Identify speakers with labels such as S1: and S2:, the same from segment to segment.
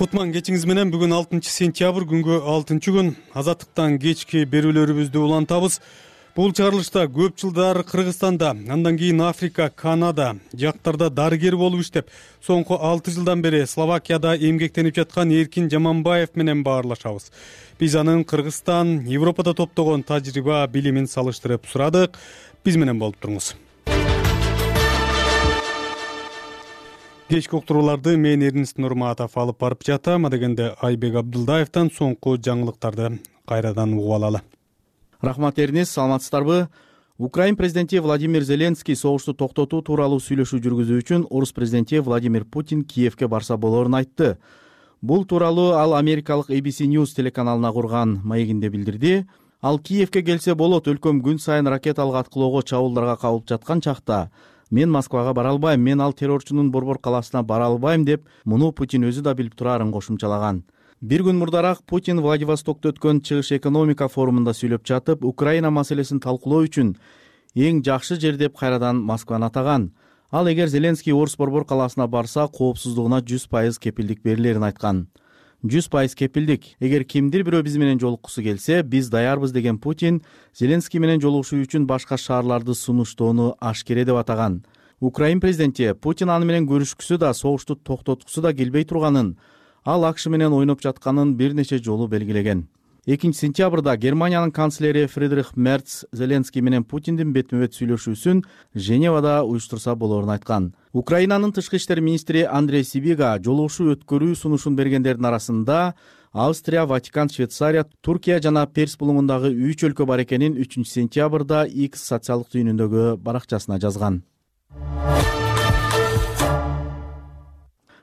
S1: Кутман кечиңиз менен бүгүн 6-сентябрь күнгө 6-күн азаттыктан кечки берүүлөрүбүздү улантабыз. Бул чыгарылышта көп жылдар Кыргызстанда, андан кийин Африка, Канада жактарда дарыгер болуп иштеп, соңку 6 жылдан бери Словакияда эмгектенип жаткан Эркин Жаманбаев менен баарлашабыз. Биз анын Кыргызстан, Европада топтогон тажрыйба, билимин салыштырып сурадык. Биз менен болуп туруңуз. Кечки уктурууларды мен Эрнис Нурматов алып барып жатам. Адегенде Айбек Абдылдаевден соңку жаңылыктарды кайрадан угуп алалы.
S2: Рахмат Эрнис, саламатсыздарбы? Украин президенти Владимир Зеленский согушту токтотуу тууралуу сүйлөшүү жүргүзүү үчүн орус президенти Владимир Путин Киевке барса болорун айтты. Бул тууралуу ал америкалык ABC News телеканалына курган маегинде билдирди. Ал Киевке келсе болот, өлкөм күн сайын ракеталык аткылоого, чабуулдарга кабылып жаткан чакта мен Москвага бара албайм, мен ал террорчунун борбор калаасына бара албайм деп, муну Путин өзү да билип турарын кошумчалаган. Бир күн мурдараак Путин Владивостокто өткөн чыгыш экономика форумунда сүйлөп жатып, Украина маселесин талкуулоо үчүн эң жакшы жер деп кайрадан Москваны атаган. Ал эгер Зеленский Орус борбор калаасына барса, коопсуздугуна 100% кепилдик берилерин айткан. 100% кепилдик. Эгер кимдир бирөө биз менен жолуккусу келсе, биз даярбыз деген Путин Зеленский менен жолугушуу үчүн башка шаарларды сунуштоону ашкере деп атаган. Украин президенти Путин аны менен көрүшкүсү да, согушту токтоткусу да келбей турганын, ал АКШ менен ойноп жатканын бир нече жолу белгилеген. 2-сентябрда Германиянын канцлери Фридрих Мерц Зеленский менен Путиндин бетме-бет сүйлөшүүсүн Женевада уюштурса болорун айткан. Украинанын тышкы иштер министри Андрей Сибига жолугушуу өткөрүү сунушун бергендердин арасында Австрия, Ватикан, Швейцария, Туркия жана Перс булуңундагы 3 өлкө бар экенин 3-сентябрда X социалдык түйүнүндөгү баракчасына жазган.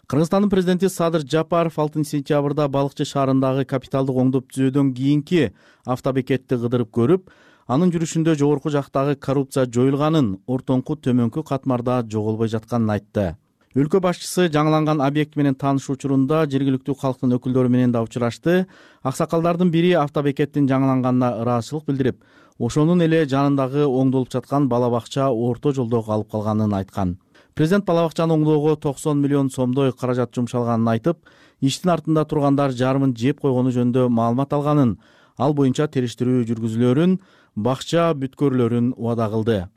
S2: Кыргызстандын президенти Садыр Жапаров 6-сентябрда Балыкчы шаарындагы капиталдык оңдоп түзөөдөн кийинки автобекетти кыдырып көрүп, анын жүрүшүндө жогорку жактагы коррупция жоюлганын, ортоңку төмөнкү катмарда жоголбой жатканын айтты. Өлкө башчысы жаңыланган объект менен таанышуу учурунда жергиликтүү калктын өкүлдөрү менен да учурашты. Аксакалдардын бири автобекеттин жаңыланганына ыраазычылык билдирип, ошонун эле жанындагы оңдолуп жаткан бала бакча орто жолдо калып калганын айткан. Президент бала бакчаны оңдоого 90 миллион сомдой каражат жумшалганын айтып, иштин артында тургандар жарымын жеп койгону жөнүндө маалымат алганын, ал боюнча териштирүү жүргүзүлөрүн, бакча бүткөрлөрүн убада кылды.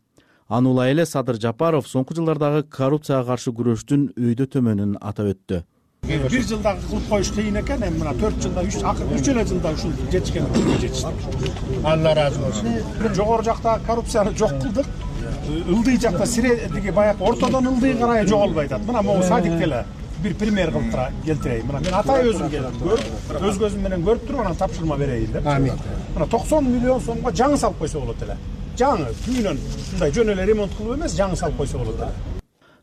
S2: Анула эле Садыр Жапаров соңку жылдардагы коррупцияга каршы күрөштүн өйдө төмөнүн атап өттү.
S3: Бир жылда кылып коюш кыйын экен, эми мына 4 жылда 3 эле жылда ушул жетишкен жетиштик. Алла ыраазы болсун. Жогору жакта коррупцияны жок кылдык. Ылдый жакта сиредиги баягы ортодон ылдый карай жоголбой атат. Мына могу садикте эле бир пример кылып келтирейин. Мына мен атай өзүм көрүп, өз көзүм менен көрүп туруп анан тапшырма берейин деп. Амин. Мына 90 миллион сомго жаңы салып койсо болот эле. Жаңы түйүнөн мындай жөн эле ремонт кылып эмес, жаңы салып койсо болот эле.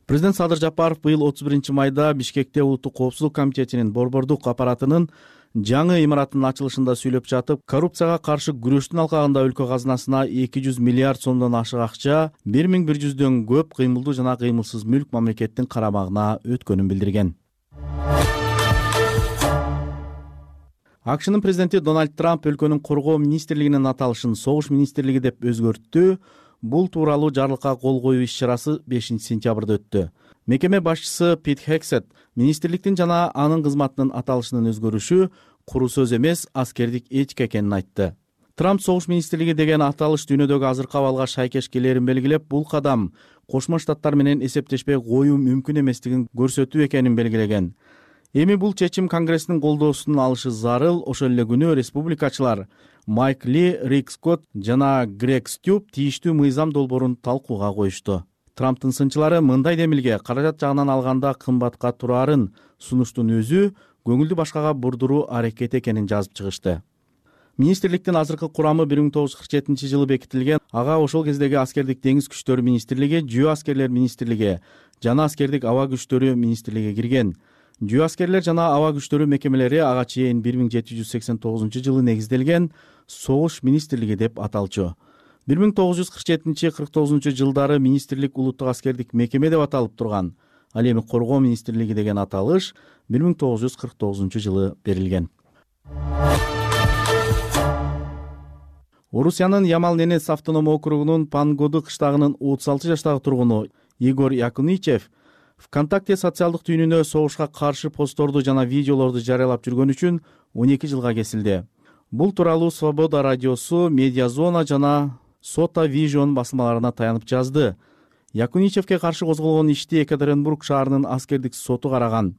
S2: Президент Садыр Жапаров быйыл 31 майда Бишкекте Улуттук коопсуздук комитетинин борбордук аппаратынын жаңы имараттын ачылышында сүйлөп жатып, коррупцияга каршы күрөштүн алкагында өлкө казынасына 200 миллиард сомдон ашык акча, 1100дөн көп кыймылдуу жана кыймылсыз мүлк мамлекеттин карамагына өткөнүн билдирген. АКШнын президенти Дональд Трамп өлкөнүн коргоо министрлигинин аталышын согуш министрлиги деп өзгөрттү. Бул тууралуу жарлыкка кол коюу иш-чарасы 5-сентябрда өттү. Мекеме башчысы Пит Хексет министрликтин жана анын кызматынын аталышынын өзгөрүшү куру сөз эмес, аскердик этика экенин айтты. Трамп согуш министрлиги деген аталыш дүйнөдөгү азыркы абалга шайкеш келерин белгилеп, бул кадам Кошмо Штаттар менен эсептешпей коюу мүмкүн эместигин көрсөтүү экенин белгилеген. Эми бул чечим Конгресстин колдоосун алышы зарыл. Ошол эле күнү республикачылар Майк Ли, Рик Скотт жана Грег Стюб тийиштүү мыйзам долбоорун талкууга коюшту. Трамптын сынчылары мындай демилге каражат жагынан алганда кымбатка турарын сунуштун өзү көңүлдү башкага бурдуруу аракет экенин жазып чыгышты. Министрликтин азыркы курамы 1947-жылы бекитилген. Ага ошол кездеги аскердик деңиз күчтөрү министрлиги, жөө аскерлер министрлиги жана аскердик аба күчтөрү министрлиги кирген. Жөө аскерлер жана аба күчтөрү мекемелери ага чейин 1789-жылы негизделген согуш министрлиги деп аталчу. 1947-49 жылдары министрлик улуттук аскердик мекеме деп аталып турган. Ал эми коргоо министрлиги деген аталыш 1949 жылы берилген. Орусиянын Ямал-Ненец автоном округунун Пангоду кыштагынын 36 жаштагы тургуну Игорь Якуничев ВКонтакте социалдык түйүнүнө согушка каршы постторду жана видеолорду жарыялап жүргөн үчүн 12 жылга кесилди. Бул тууралуу Свобода радиосу, Медиазона жана Сота Vision басылмаларына таянып жазды. Якуничевке каршы козголгон ишти Екатеринбург шаарынын аскердик соту караган.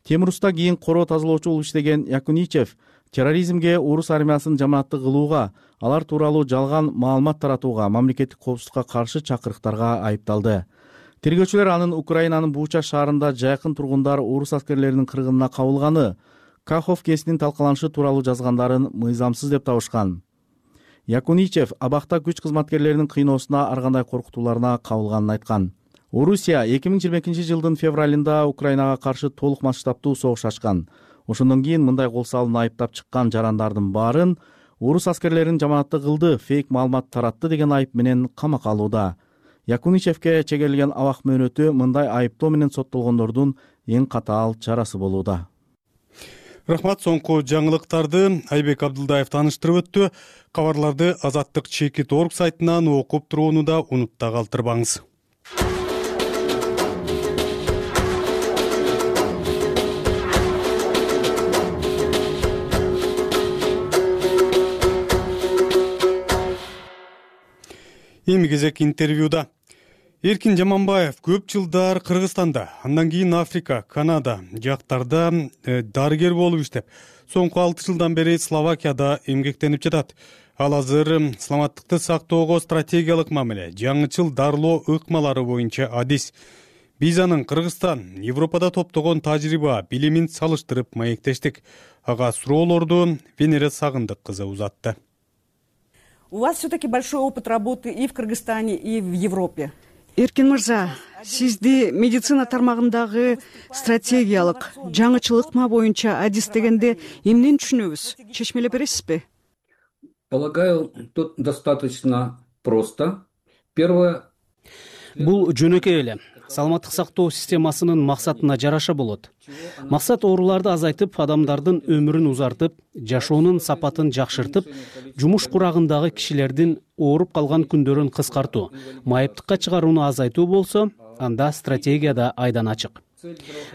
S2: Темуруста кийин короо тазалоочу болуп иштеген Якуничев терроризмге орус армиясын жамаатты кылууга, алар тууралуу жалган маалымат таратууга, мамлекеттик коопсуздукка каршы чакырыктарга айыпталды. Тергөөчүлөр анын Украинанын Буча шаарында жайкын тургундар орус аскерлеринин кыргынына кабылганы, Каховкесинин талкаланышы тууралуу жазгандарын мыйзамсыз деп табышкан. Якуничев абакта күч кызматкерлеринин кыйноосуна, ар кандай коркутууларына кабылганын айткан. Орусия 2022 жылдын февралында Украинага каршы толук масштабтуу согуш ачкан. Ошондон кийин мындай кол салууну айыптап чыккан жарандардын баарын орус аскерлерин жамаатты кылды, фейк маалымат таратты деген айып менен камакка алууда. Якуничевке чегерилген абак мөөнөтү мындай айыптоо менен соттолгондордун эң катаал чарасы болууда.
S1: Рахмат. Соңку жаңылыктарды Айбек Абдылдаев тааныштырып өттү. Кабарларды Азаттык Чекит орг сайтынан окуп турууну да унутта калтырбаңыз. Эми кезек интервьюда. Эркин Жаманбаев көп жылдар Кыргызстанда, андан кийин Африка, Канада жактарда дарыгер болуп иштеп, соңку 6 жылдан бери Словакияда эмгектенип жатат. Ал азыр саламаттыкты сактоого стратегиялык мамиле, жаңычыл дарылоо ыкмалары боюнча адис. Биз анын Кыргызстан, Европада топтогон тажрыйба, билимин салыштырып маектештик. Ага суроолорду Венера Сагындык кызы узатты.
S4: У вас все-таки большой опыт работы и в Кыргызстане, и в Европе.
S5: Эркин мырза, сизди медицина тармагындагы стратегиялык жаңычыл ыкма боюнча адис дегенде эмнени түшүнөбүз? Чечмелеп бересизби?
S6: Полагаю, тут достаточно просто. Первое.
S7: Бул жөнөкөй эле. Саламаттык сактоо системасынын максатына жараша болот. Максат ооруларды азайтып, адамдардын өмүрүн узартып, жашоонун сапатын жакшыртып, жумуш курагындагы кишилердин ооруп калган күндөрүн кыскартуу, майыптыкка чыгарууну азайтуу болсо, анда стратегия да айдан ачык.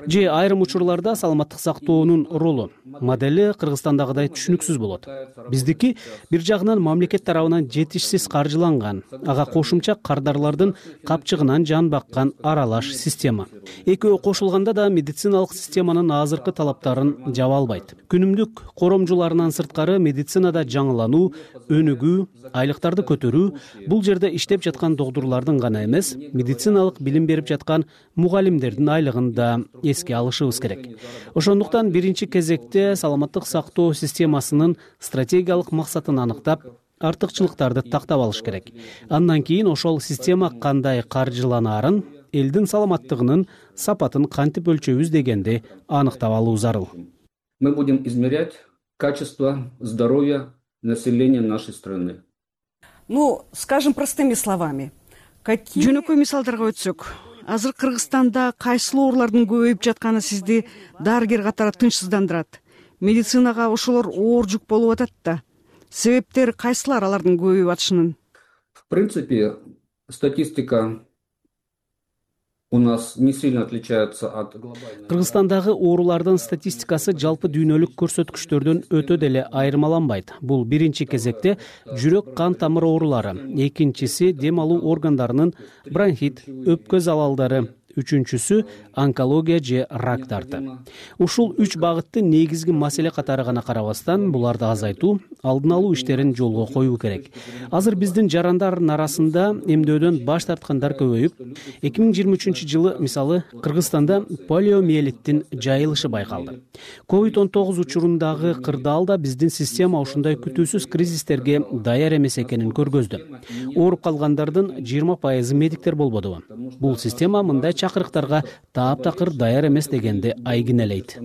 S7: Же айрым учурларда саламаттык сактоонун ролу, модели Кыргызстандагыдай түшүнүксүз болот. Биздики бир жагынан мамлекет тарабынан жетишсиз каржыланган, ага кошумча кардарлардын капчыгынан жан баккан аралаш система. Экөө кошулганда да медициналык системанын азыркы талаптарын жаба албайт. Күнүмдүк коромжуларынан сырткары медицинада жаңылануу, өнүгүү, айлыктарды көтөрүү бул жерде иштеп жаткан доктурлардын гана эмес, медициналык билим берип жаткан мугалимдердин айлыгын да эске алышыбыз керек. Ошондуктан биринчи кезекте саламаттык сактоо системасынын стратегиялык максатын аныктап, артыкчылыктарды тактап алыш керек. Андан кийин ошол система кандай каржыланаарын, элдин саламаттыгынын сапатын кантип өлчөбүз дегенди аныктап алуу зарыл.
S6: Мы будем измерять качество здоровья населения нашей страны.
S4: Ну, скажем простыми словами.
S5: Жөнөкөй мисалдарга өтсөк, азыр Кыргызстанда кайсыл оорулардын көбөйүп жатканы сизди дарыгер катары тынчсыздандырат? Медицинага ошолор оор жүк болуп атат да. Себептери кайсылар алардын көбөйүп атышынын?
S6: В принципе, статистика у нас не сильно отличается от глобальной.
S7: Кыргызстандагы оорулардын статистикасы жалпы дүйнөлүк көрсөткүчтөрдөн өтө деле айырмаланбайт. Бул биринчи кезекте жүрөк кан тамыр оорулары, экинчиси дем алуу органдарынын бронхит, өпкө залалдары, үчүнчүсү онкология же рактарды. Ушул 3 багытты негизги маселе катары гана карабастан, буларды азайтуу, алдын алуу иштерин жолго коюу керек. Азыр биздин жарандардын арасында эмдөөдөн баш тарткандар көбөйүп, 2023 жылы мисалы Кыргызстанда полиомиелиттин жайылышы байкалды. COVID-19 учурундагы кырдаал да биздин система ушундай күтүүсүз кризистерге даяр эмес экенин көргөздү. Ооруп калгандардын 20% медиктер болбодубу? Бул система мындай чакырыктарга таап-такыр даяр эмес дегенди айгинелейт.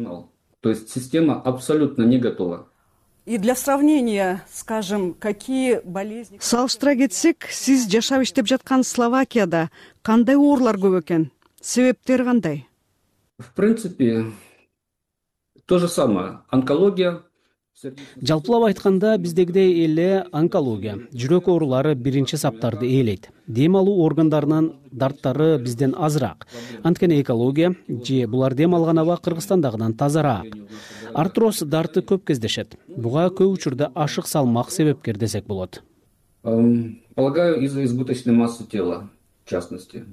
S6: То есть система абсолютно не готова.
S4: И для сравнения, скажем, какие болезни...
S5: Салыштыра кетсек, сиз жашап иштеп жаткан Словакияда кандай оорулар көп экен? Себептери кандай?
S6: В принципе, то же самое. Онкология,
S7: Жалпылап айтканда биздегидей эле онкология, жүрөк оорулары биринчи саптарды ээлейт. Дем алуу органдарынын дарттары бизден азыраак. Анткени экология же булар дем алган аба Кыргызстандагыдан тазараак. Артроз дарты көп кездешет. Буга көп учурда ашык салмак себепкер десек болот.
S6: Полагаю, из-за избыточной массы тела, в частности.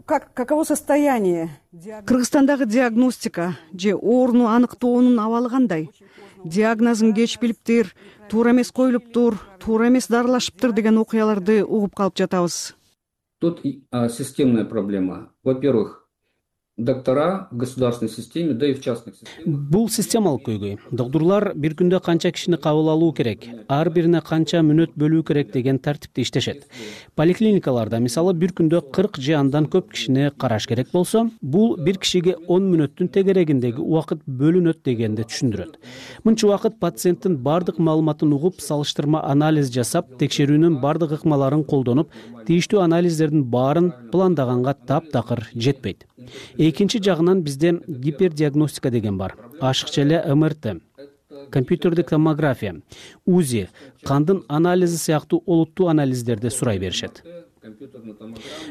S4: Каково состояние?
S5: Кыргызстандагы диагностика же ооруну аныктоонун абалы кандай? Диагнозун кеч билиптир, туура эмес коюлуптур, туура эмес дарылашыптыр деген окуяларды угуп калып жатабыз.
S6: Тут системная проблема. Во-первых, доктора в государственной системе, да и в частных системах.
S7: Бул системалык көйгөй. Доктурлар бир күндө канча кишини кабыл алуу керек, ар бирине канча мүнөт бөлүү керек деген тартипте иштешет. Поликлиникаларда мисалы бир күндө 40 же андан көп кишини караш керек болсо, бул бир кишиге 10 мүнөттүн тегерегиндеги убакыт бөлүнөт дегенди түшүндүрөт. Мынча убакыт пациенттин бардык маалыматын угуп, салыштырма анализ жасап, текшерүүнүн бардык ыкмаларын колдонуп, тийиштүү анализдердин баарын пландаганга таптакыр жетпейт. Экинчи жагынан бизде гипердиагностика деген бар. Ашыкча эле МРТ, компьютердик томография, УЗИ, кандын анализи сыяктуу олуттуу анализдерди сурай беришет.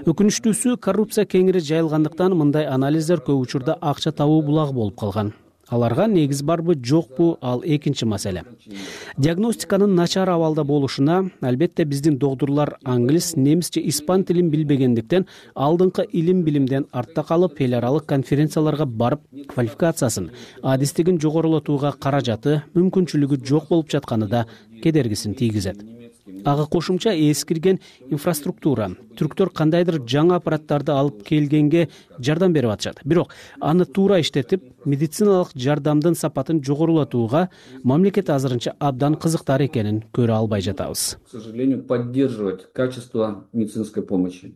S7: Өкүнүчтүүсү, коррупция кеңири жайылгандыктан мындай анализдер көп учурда акча табуу булагы болуп калган. Аларга негиз барбы, жокпу, ал экинчи маселе. Диагностиканын начар абалда болушуна, албетте биздин доктурлар англис, немис же испан тилин билбегендиктен алдыңкы илим билимден артта калып, эл аралык конференцияларга барып, квалификациясын, адистигин жогорулатууга каражаты, мүмкүнчүлүгү жок болуп жатканы да кедергисин тийгизет. Ага кошумча эскирген инфраструктура, түрктөр кандайдыр жаңы аппараттарды алып келгенге жардам берип атышат. Бирок аны туура иштетип, медициналык жардамдын сапатын жогорулатууга мамлекет азырынча абдан кызыктар экенин көрө албай жатабыз.
S6: К сожалению, поддерживать качество медицинской помощи.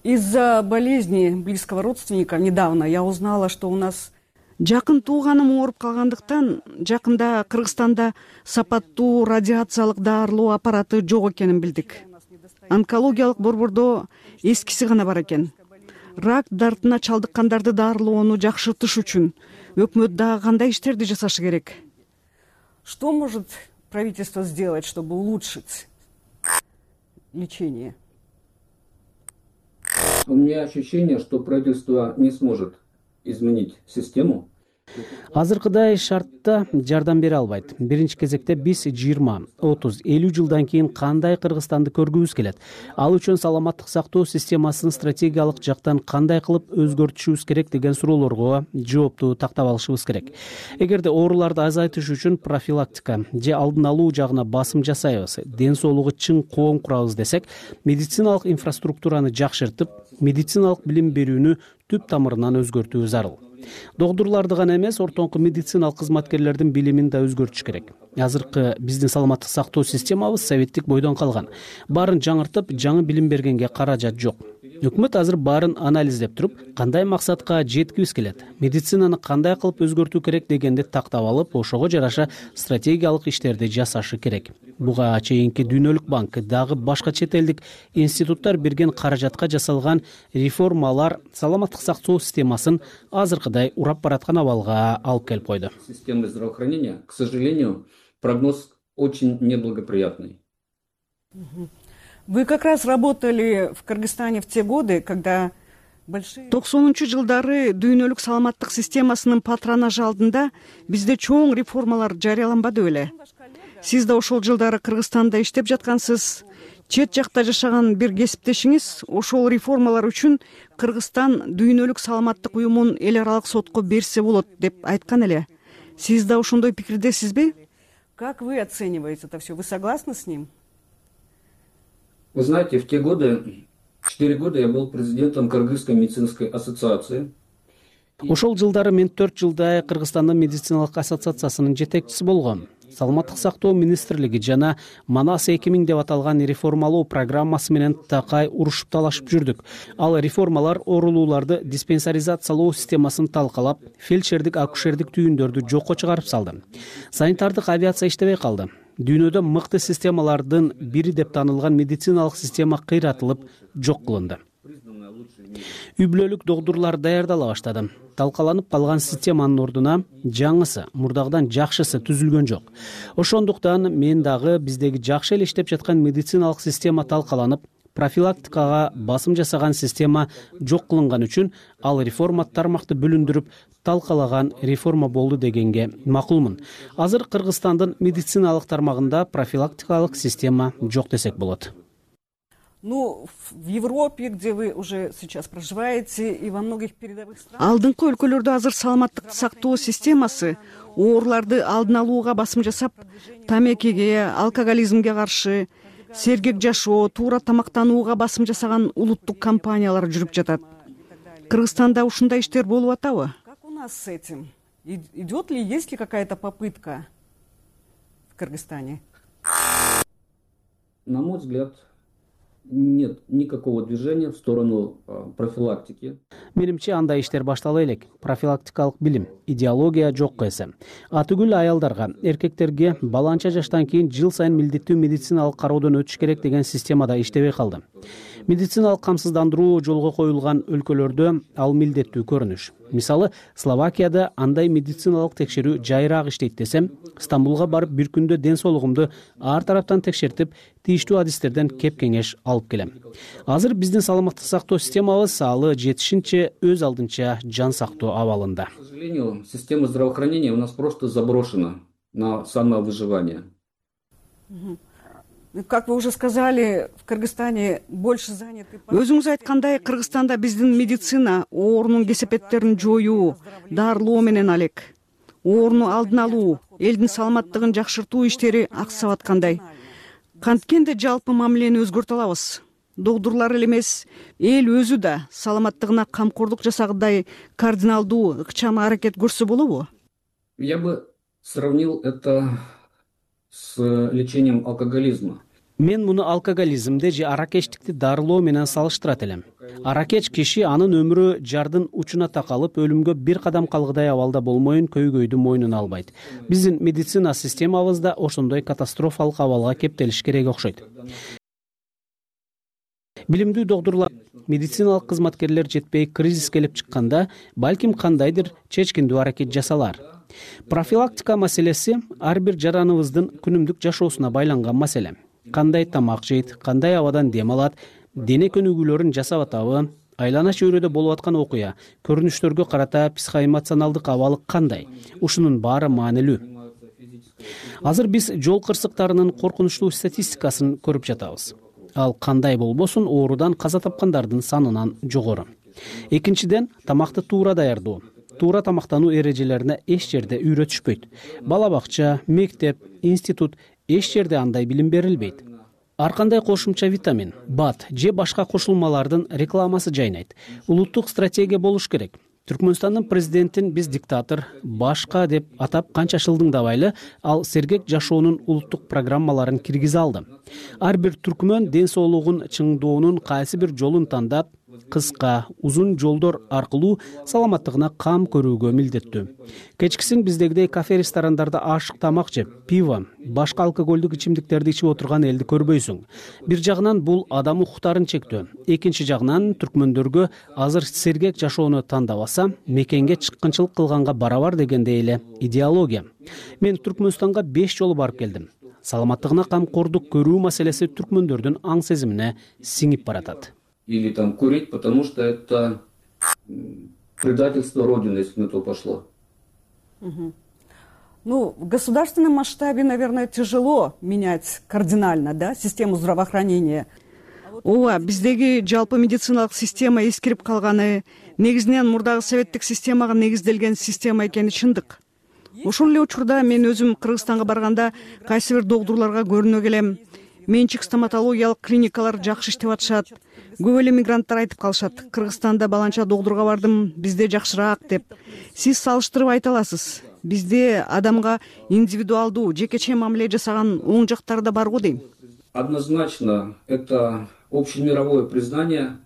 S4: Из-за болезни близкого родственника недавно я узнала, что у нас
S5: Жакын тууганым ооруп калгандыктан жакында Кыргызстанда сапаттуу радиациялык даарылоо аппараты жок экенин билдик. Онкологиялык борбордо эскиси гана бар экен. Рак дартына чалдыккандарды даарылоону жакшыртыш үчүн өкмөт дагы кандай иштерди жасашы керек?
S4: Что может правительство сделать, чтобы улучшить лечение?
S6: У меня ощущение, что правительство не сможет изменить систему.
S7: Азыркыдай шартта жардам бере албайт. Биринчи кезекте биз 20, 30, 50 жылдан кийин кандай Кыргызстанды көргүбүз келет? Ал үчүн саламаттык сактоо системасын стратегиялык жактан кандай кылып өзгөртүшүбүз керек деген суроолорго жоопту тактап алышыбыз керек. Эгерде ооруларды азайтыш үчүн профилактика же алдын алуу жагына басым жасайбыз, ден соолугу чың коом курабыз десек, медициналык инфраструктураны жакшыртып, медициналык билим берүүнү түп тамырынан өзгөртүү зарыл. Доктурларды гана эмес, ортоңку медициналык кызматкерлердин билимин да өзгөртүш керек. Азыркы биздин саламаттык сактоо системабыз советтик бойдон калган. Баарын жаңыртып, жаңы билим бергенге каражат жок. Өкмөт азыр баарын анализдеп туруп, кандай максатка жеткибиз келет, медицинаны кандай кылып өзгөртүү керек дегенди тактап алып, ошого жараша стратегиялык иштерди жасашы керек. Буга чейинки Дүйнөлүк банк, дагы башка чет элдик институттар берген каражатка жасалган реформалар саламаттык сактоо системасын азыркыдай урап бараткан абалга алып келип койду.
S6: Системы здравоохранения, к сожалению, прогноз очень неблагоприятный.
S4: Вы как раз работали в Кыргызстане в те годы, когда
S5: 90 жылдары дүйнөлүк саламаттык системасынын патронажы алдында бизде чоң реформалар жарыяланбады беле? Сиз да ошол жылдары Кыргызстанда иштеп жаткансыз. Чет жакта жашаган бир кесиптешиңиз ошол реформалар үчүн Кыргызстан дүйнөлүк саламаттык уюмун эл аралык сотко берсе болот деп айткан эле. Сиз да ошондой пикирдесизби?
S4: Как вы оцениваете это все? Вы согласны с ним?
S6: Вы знаете, в те годы, 4 года я был президентом Кыргызской медицинской ассоциации.
S7: Ошол жылдары мен 4 жылдай Кыргызстандын медициналык ассоциациясынын жетекчиси болгом. Саламаттык сактоо министрлиги жана Манас 2000 деп аталган реформалоо программасы менен такай урушуп талашып жүрдүк. Ал реформалар оорулууларды диспенсаризациялоо системасын талкалап, фельдшердик, акушердик түйүндөрдү жокко чыгарып салды. Санитардык авиация иштебей калды. Дүйнөдө мыкты системалардын бири деп танылган медициналык система кыйратылып, жок кылынды. үй бүлөлүк доктурлар даярдала баштады. Талкаланып калган системанын ордуна жаңысы, мурдагыдан жакшысы түзүлгөн жок. Ошондуктан мен дагы биздеги жакшы эле иштеп жаткан медициналык система талкаланып, профилактикага басым жасаган система жок кылынган үчүн ал реформа тармакты бөлүндүрүп талкалаган реформа болду дегенге макулмун. Азыр Кыргызстандын медициналык тармагында профилактикалык система жок десек болот.
S4: Ну, в Европе, где вы уже сейчас проживаете, и во многих передовых странах...
S5: Алдыңкы өлкөлөрдө азыр саламаттыкты сактоо системасы ооруларды алдын алууга басым жасап, тамекиге, алкоголизмге каршы, сергек жашоо, туура тамактанууга басым жасаган улуттук компаниялар жүрүп жатат. Кыргызстанда ушундай иштер болуп атабы?
S4: Как у нас с этим? Идет ли, есть ли какая-то попытка в Кыргызстане?
S6: На мой взгляд, нет никакого движения в сторону профилактики.
S7: Менимче андай иштер баштала элек. Профилактикалык билим, идеология жокко эсе. Атүгүл аялдарга, эркектерге баланча жаштан кийин жыл сайын милдеттүү медициналык кароодон өтүш керек деген системада иштебей калды. Медициналык камсыздандыруу жолго коюлган өлкөлөрдө ал милдеттүү көрүнүш. Мисалы, Словакияда андай медициналык текшерүү жайыраак иштейт десем, Стамбулга барып бир күндө ден соолугумду ар тараптан текшертип, тийиштүү адистерден кеп кеңеш алып келем. Азыр биздин саламаттык сактоо системабыз алы жетишинче өз алдынча жан сактоо абалында.
S6: К сожалению, система здравоохранения у нас просто заброшена на самовыживание.
S4: Как вы уже сказали, в Кыргызстане больше заняты...
S5: Өзүңүз айткандай, Кыргызстанда биздин медицина оорунун кесепеттерин жоюу, дарылоо менен алек. Ооруну алдын алуу, элдин саламаттыгын жакшыртуу иштери аксап аткандай. Канткенде жалпы мамилени өзгөртө алабыз. Доктурлар эле эмес, эл өзү да саламаттыгына камкордук жасагандай кардиналдуу, ыкчам аракет көрсө болобу?
S6: Я бы сравнил это с лечением алкоголизма.
S7: Мен муну алкоголизмди же аракечтикти дарылоо менен салыштырат элем. Аракеч киши анын өмүрү жардын учуна такалып, өлүмгө бир кадам калгыдай абалда болмоюн көйгөйдү мойнуна албайт. Биздин медицина системабызда ошондой катастрофалык абалга кептелиш керек окшойт. Билимдүү доктурлар, медициналык кызматкерлер жетпей кризис келип чыкканда, балким кандайдыр чечкиндүү аракет жасалар. Профилактика маселеси ар бир жараныбыздын күнүмдүк жашоосуна байланган маселе. Кандай тамак жейт, кандай абадан дем алат, дене көнүгүүлөрүн жасап атабы, айлана чөйрөдө болуп аткан окуя, көрүнүштөргө карата психоэмоционалдык абалы кандай? Ушунун баары маанилүү. Азыр биз жол кырсыктарынын коркунучтуу статистикасын көрүп жатабыз. Ал кандай болбосун, оорудан каза тапкандардын санынан жогору. Экинчиден, тамакты туура даярдоо. Туура тамактануу эрежелерине эч жерде үйрөтүшпөйт. Бала бакча, мектеп, институт эч жерде андай билим берилбейт. Ар кандай кошумча витамин, БАД же башка кошулмалардын рекламасы жайнайт. Улуттук стратегия болуш керек. Түркмөнстандын президентин биз диктатор, башка деп атап канча шылдыңдабайлы, ал сергек жашоонун улуттук программаларын киргизе алды. Ар бир түркмөн ден соолугун чыңдоонун кайсы бир жолун тандап, кыска, узун жолдор аркылуу саламаттыгына кам көрүүгө милдеттүү. Кечкисин биздегидей кафе ресторандарда ашык тамак жеп, пиво, башка алкоголдук ичимдиктерди ичип отурган элди көрбөйсүң. Бир жагынан бул адам укуктарын чектөө. Экинчи жагынан түркмөндөргө азыр сергек жашоону тандабаса, мекенге чыккынчылык кылганга барабар дегендей эле идеология. Мен Түркмөнстанга 5 жолу барып келдим. Саламаттыгына камкордук көрүү маселеси түркмөндөрдүн аң сезимине сиңип баратат.
S6: Или там курить, потому что это предательство Родины, если на то пошло.
S4: Ну, в государственном масштабе, наверное, тяжело менять кардинально, да, систему здравоохранения.
S5: Ооба, биздеги жалпы медициналык система эскирип калганы, негизинен мурдагы советтик системага негизделген система экени чындык. Ошол эле учурда мен өзүм Кыргызстанга барганда кайсы бир доктурларга көрүнө келем. Менчик стоматологиялык клиникалар жакшы иштеп атышат. Көп эле мигранттар айтып калышат. Кыргызстанда баланча доктурга бардым, бизде жакшыраак деп. Сиз салыштырып айта аласыз. Бизде адамга индивидуалдуу, жекече мамиле жасаган оң жактары да барго дейм.
S6: Однозначно, это общемировое признание.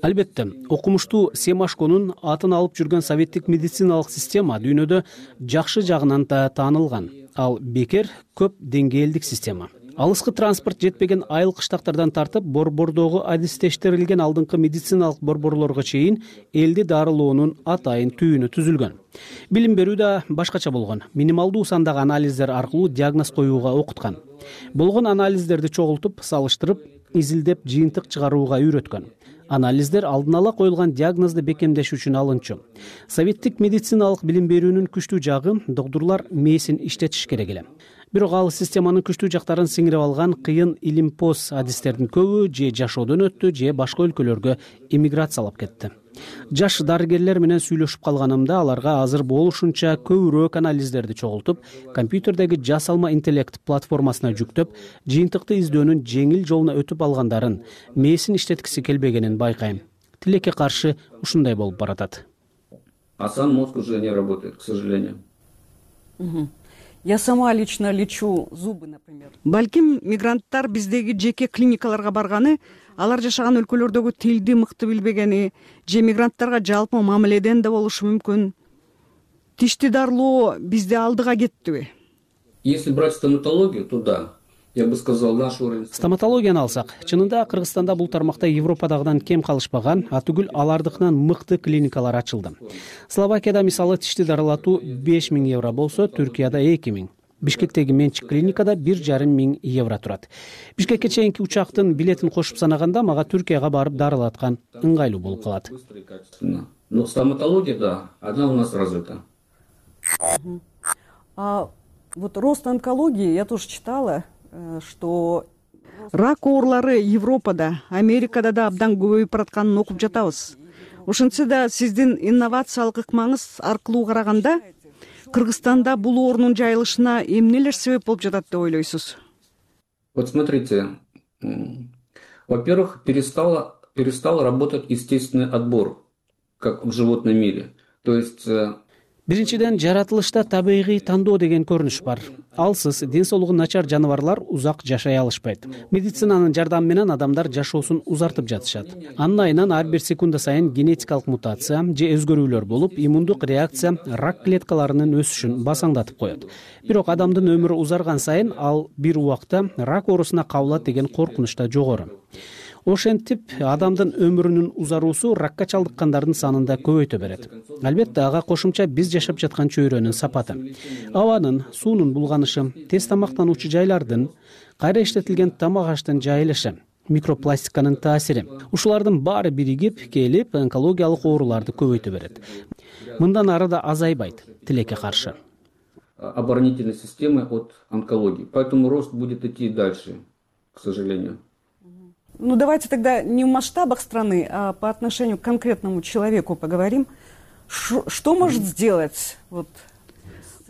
S7: Албетте, окумуштуу Семашконун атын алып жүргөн советтик медициналык система дүйнөдө жакшы жагынан да таанылган. Ал бекер көп деңгээлдик система. Алыскы транспорт жетпеген айыл кыштактардан тартып борбордогу адистештирилген алдыңкы медициналык борборлорго чейин элди дарылоонун атайын түйүнү түзүлгөн. Билим берүү да башкача болгон. Минималдуу сандагы анализдер аркылуу диагноз коюуга окуткан. Болгон анализдерди чогултуп, салыштырып, изилдеп, жыйынтык чыгарууга үйрөткөн. Анализдер алдын ала коюлган диагнозду бекемдеш үчүн алынчу. Советтик медициналык билим берүүнүн күчтүү жагы доктурлар мээсин иштетиш керек эле. Бирок ал системанын күчтүү жактарын сиңирип алган кыйын илимпоз адистердин көбү же жашоодон өттү, же башка өлкөлөргө эмиграциялап кетти. Жаш дарыгерлер менен сүйлөшүп калганымда аларга азыр болушунча көбүрөөк анализдерди чогултуп, компьютердеги жасалма интеллект платформасына жүктөп, жыйынтыкты издөөнүн жеңил жолуна өтүп алгандарын, мээсин иштеткиси келбегенин байкайм. Тилекке каршы ушундай болуп баратат.
S6: А сам мозг уже не работает, к сожалению.
S4: Я сама лично лечу зубы, например.
S5: Балким мигранттар биздеги жеке клиникаларга барганы, алар жашаган өлкөлөрдөгү тилди мыкты билбегени, же мигранттарга жалпы мамиледен да болушу мүмкүн. Тишти дарылоо бизде алдыга кеттиби?
S6: Если брать стоматологию, то да. Я бы сказал, наш уровень...
S7: Стоматологияны алсак, чынында Кыргызстанда бул тармакта Европадагыдан кем калышпаган, атүгүл алардыкынан мыкты клиникалар ачылды. Словакияда мисалы тишти дарылатуу 5000 евро болсо, Түркияда 2000. Бишкектеги менчик клиникада 1500 евро турат. Бишкекке чейинки учактын билетин кошуп санаганда мага Түркияга барып дарылаткан ыңгайлуу болуп калат.
S6: Но стоматология, да, она у нас развита.
S4: Вот рост онкологии, я тоже читала, что...
S5: Рак оорулары Европада, Америкада да абдан көбөйүп баратканын окуп жатабыз. Ошентсе да сиздин инновациялык ыкмаңыз аркылуу караганда Кыргызстанда бул оорунун жайылышына эмнелер себеп болуп жатат деп ойлойсуз?
S6: Вот смотрите, во-первых, перестал работать естественный отбор, как в животном мире. То есть...
S7: Биринчиден, жаратылышта табигый тандоо деген көрүнүш бар. Алсыз, ден соолугу начар жаныбарлар узак жашай алышпайт. Медицинанын жардамы менен адамдар жашоосун узартып жатышат. Анын айынан ар бир секунда сайын генетикалык мутация же өзгөрүүлөр болуп, иммундук реакция рак клеткаларынын өсүшүн басаңдатып коет. Бирок адамдын өмүрү узарган сайын ал бир убакта рак оорусуна кабылат деген коркунуч да жогору. Ошентип, адамдын өмүрүнүн узаруусу ракка чалдыккандардын санын да көбөйтө берет. Албетте, ага кошумча биз жашап жаткан чөйрөнүн сапаты, абанын, суунун булганышы, тез тамактануучу жайлардын, кайра иштетилген тамак аштын жайылышы, микропластиканын таасири. Ушулардын баары биригип келип онкологиялык ооруларды көбөйтө берет. Мындан ары да азайбайт, тилекке каршы.
S6: Оборонительной системы от онкологии. Поэтому рост будет идти дальше, к сожалению.
S4: Ну, давайте тогда не в масштабах страны, а по отношению к конкретному человеку поговорим. Что может сделать? Вот.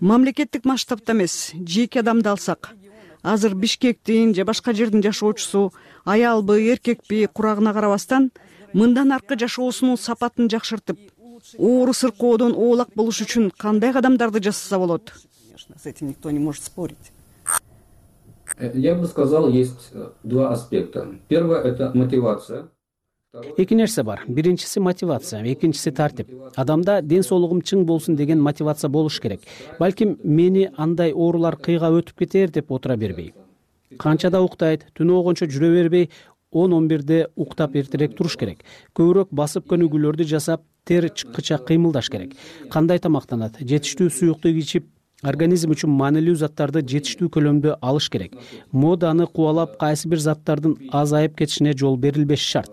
S5: Мамлекеттик масштабта эмес, жеке адамды алсак, азыр Бишкектин же башка жердин жашоочусу аялбы, эркекпи курагына карабастан мындан аркы жашоосунун сапатын жакшыртып, оору сыркоодон оолак болуш үчүн кандай кадамдарды жасаса болот?
S4: Конечно, с этим никто не может спорить.
S6: Я бы сказал, есть два аспекта. Первое – это мотивация.
S7: Эки нерсе бар. Биринчиси мотивация, экинчиси тартип. Адамда ден соолугум чың болсун деген мотивация болуш керек. Балким мени андай оорулар кыйга өтүп кетер деп отура бербей. Канчада уктайт, түнү огончо жүрө бербей, 10-11де уктап эртерээк туруш керек. Көбүрөөк басып көнүгүүлөрдү жасап, тер чыккыча кыймылдаш керек. Кандай тамактанат, жетиштүү суюктук ичип, организм үчүн маанилүү заттарды жетиштүү көлөмдө алыш керек. Моданы кубалап, кайсы бир заттардын азайып кетишине жол берилбеш шарт.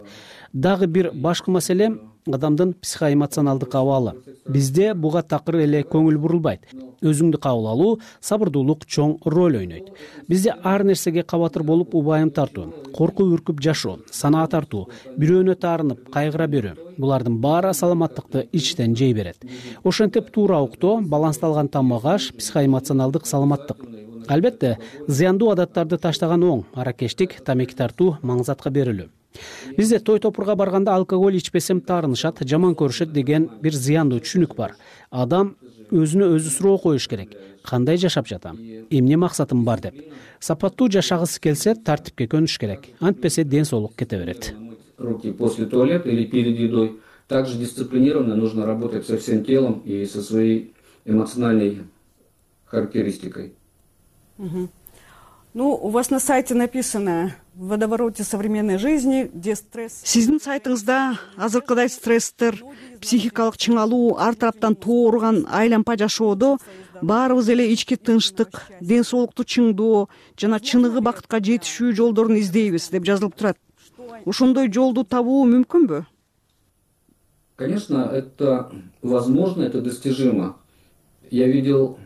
S7: Дагы бир башкы маселе адамдын психоэмоционалдык абалы. Бизде буга такыр эле көңүл бурулбайт. Өзүңдү кабыл алуу, сабырдуулук чоң роль ойнойт. Бизде ар нерсеге кабатыр болуп убайым тартуу, коркуп үркүп жашоо, санаа тартуу, бирөөнө таарынып, кайгыра берүү. Булардын баары саламаттыкты ичтен жей берет. Ошентип туура уктоо, балансталган тамак аш, психоэмоционалдык саламаттык. Албетте, зыяндуу адаттарды таштаган оң, аракештик, тамеки тартуу, маңзатка берилүү. Бизде той топурга барганда алкоголь ичпесем таарынышат, жаман көрүшөт деген бир зыяндуу түшүнүк бар. Адам өзүнө өзү суроо коюш керек. Кандай жашап жатам? Эмне максатым бар деп. Сапаттуу жашагысы келсе, тартипке көнүш керек. Антпесе ден соолук кете берет.
S6: Руки после туалета или перед едой. Также дисциплинированно нужно работать со всем телом и со своей эмоциональной характеристикой.
S4: У вас на сайте написано: в водовороте современной жизни, где стресс.
S5: Сиздин сайтыңызда азыркыдай стресстер, психикалык чыңалуу, ар тараптан тоорган айлампа жашоодо баарыбыз эле ички тынчтык, ден соолукту чыңдоо жана чыныгы бакытка жетишүү жолдорун издейбиз деп жазылып турат. Ошондой жолду табуу мүмкүнбү?
S6: Конечно, это возможно, это достижимо. Я видел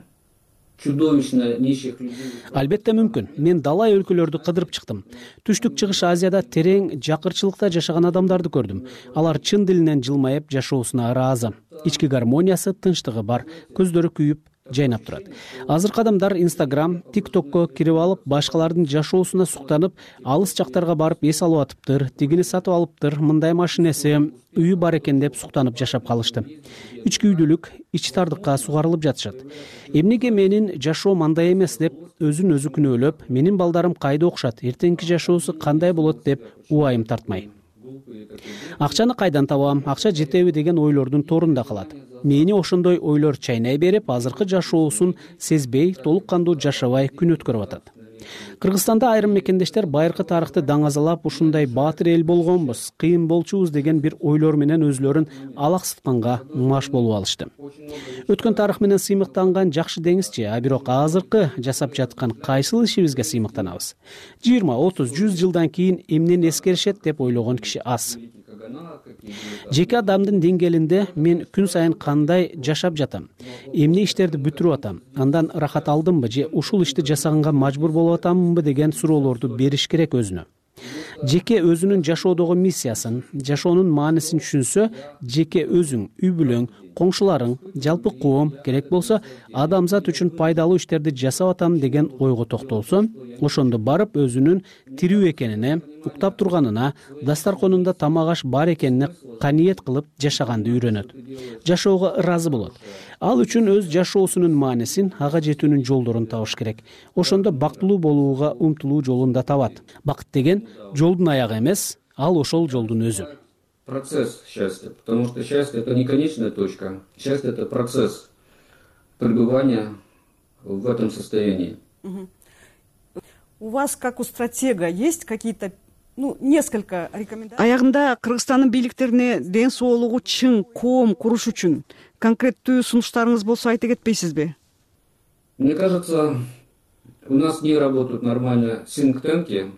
S6: чудовищно нищих людей.
S7: Албетте мүмкүн. Мен далай өлкөлөрдү кыдырып чыктым. Түштүк чыгыш Азияда терең жакырчылыкта жашаган адамдарды көрдүм. Алар чын дилинен жылмайып жашоосуна ыраазы. Ички гармониясы, тынчтыгы бар, көздөрү күйүп жайнап турат. Азыркы адамдар Instagram, TikTokко кирип алып, башкалардын жашоосуна суктанып, алыс жактарга барып эс алып атыптыр, тигини сатып алыптыр, мындай машинеси, үйү бар экен деп суктанып жашап калышты. Үч күйдүлүк, ич тардыкка сугарылып жатышат. Эмнеге менин жашоом андай эмес деп өзүн өзү күнөөлөп, менин балдарым кайда окушат, эртеңки жашоосу кандай болот деп убайым тартмай. Акчаны кайдан табам, акча жетеби деген ойлордун торунда калат. Мени ошондой ойлор чайнай берип, азыркы жашоосун сезбей, толук кандуу жашабай күн өткөрүп атат. Кыргызстанда айрым мекендештер байыркы тарыхты даңазалап, ушундай баатыр эл болгонбуз, кыйын болчубуз деген бир ойлор менен өзүлөрүн алаксытканга маш болуп алышты. Өткөн тарых менен сыймыктанган жакшы деңизчи, а бирок азыркы жасап жаткан кайсыл ишибизге сыймыктанабыз? 20, 30, 100 жылдан кийин эмнени эскеришет деп ойлогон киши аз. Жеке адамдын деңгээлинде мен күн сайын кандай жашап жатам, эмне иштерди бүтүрүп атам, андан рахат алдымбы же ушул ишти жасаганга мажбур болуп атамбы деген суроолорду бериш керек өзүнө. Жеке өзүнүн жашоодогу миссиясын, жашоонун маанисин түшүнсө, жеке өзүң, үй бүлөң, коңшуларың, жалпы коом, керек болсо адамзат үчүн пайдалуу иштерди жасап атам деген ойго токтолсо, ошондо барып өзүнүн тирүү экенине, уктап турганына, дастарконунда тамак аш бар экенине каниет кылып жашаганды үйрөнөт. Жашоого ыраазы болот. Ал үчүн өз жашоосунун маанисин, ага жетүүнүн жолдорун табыш керек. Ошондо бактылуу болууга умтулуу жолун да табат. Бакыт деген жолдун аягы эмес, ал ошол жолдун өзү.
S6: Процесс счастья, потому что счастье — это не конечная точка. Счастье — это процесс пребывания в этом состоянии.
S4: У вас, как у стратега, есть какие-то несколько рекомендаций?
S5: Аягында Кыргызстандын бийликтерине ден соолугу чың коом куруш үчүн конкреттүү сунуштарыңыз болсо айта кетпейсизби?
S6: Мне кажется, у нас не работают нормально think-tanки.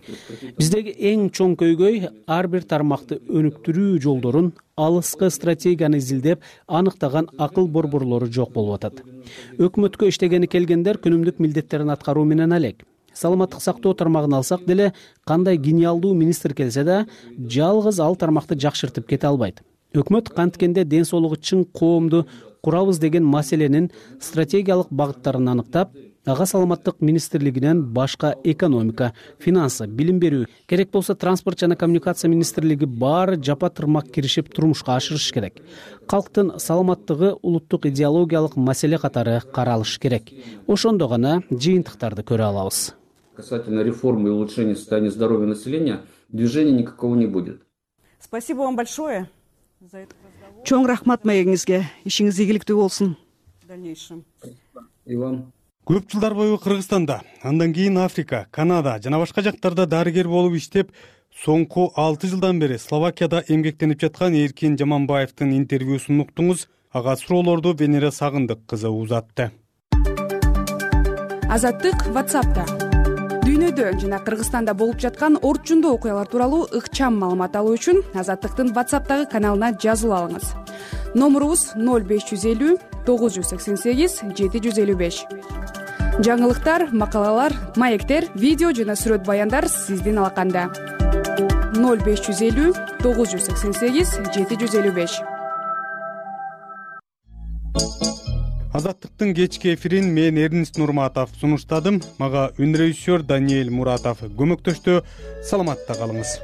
S7: Биздеги эң чоң көйгөй ар бир тармакты өнүктүрүү жолдорун, алыскы стратегияны изилдеп, аныктаган акыл борборлору жок болуп атат. Өкмөткө иштегени келгендер күнүмдүк милдеттерин аткаруу менен алек. Саламаттык сактоо тармагын алсак деле, кандай гениалдуу министр келсе да, жалгыз ал тармакты жакшыртып кете албайт. Өкмөт канткенде ден соолугу чың коомду курабыз деген маселенин стратегиялык багыттарын аныктап, ага саламаттык министрлигинен башка экономика, финансы, билим берүү, керек болсо транспорт жана коммуникация министрлиги баары жапа тырмак киришип турмушка ашырыш керек. Калктын саламаттыгы улуттук идеологиялык маселе катары каралыш керек. Ошондо гана жыйынтыктарды көрө алабыз.
S6: Касательно реформы и улучшения состояния здоровья населения, движения никакого не будет.
S4: Спасибо вам большое за этот разговор.
S5: Чоң рахмат маегиңизге. Ишиңиз ийгиликтүү болсун.
S4: В дальнейшем.
S6: И вам.
S1: Көп жылдар бою Кыргызстанда, андан кийин Африка, Канада жана башка жактарда дарыгер болуп иштеп, соңку 6 жылдан бери Словакияда эмгектенип жаткан Эркин Жаманбаевдин интервьюсун уктуңуз. Ага суроолорду Венера Сагындык кызы узатты.
S8: Азаттык WhatsApp'та. Дүйнөдө жана Кыргызстанда болуп жаткан орчундуу окуялар тууралуу ыкчам маалымат алуу үчүн Азаттыктын WhatsApp'тагы каналына жазылып алыңыз. Номурубуз 0550 988 755. Жаңылыктар, макалалар, маектер, видео жана сүрөт баяндар сиздин алаканда. 0550 988 755.
S1: Азаттыктын кечки эфирин мен Эрнис Нурматов сунуштадым. Мага үн режиссер Даниэль Муратов көмөктөштү. Саламатта калыңыз.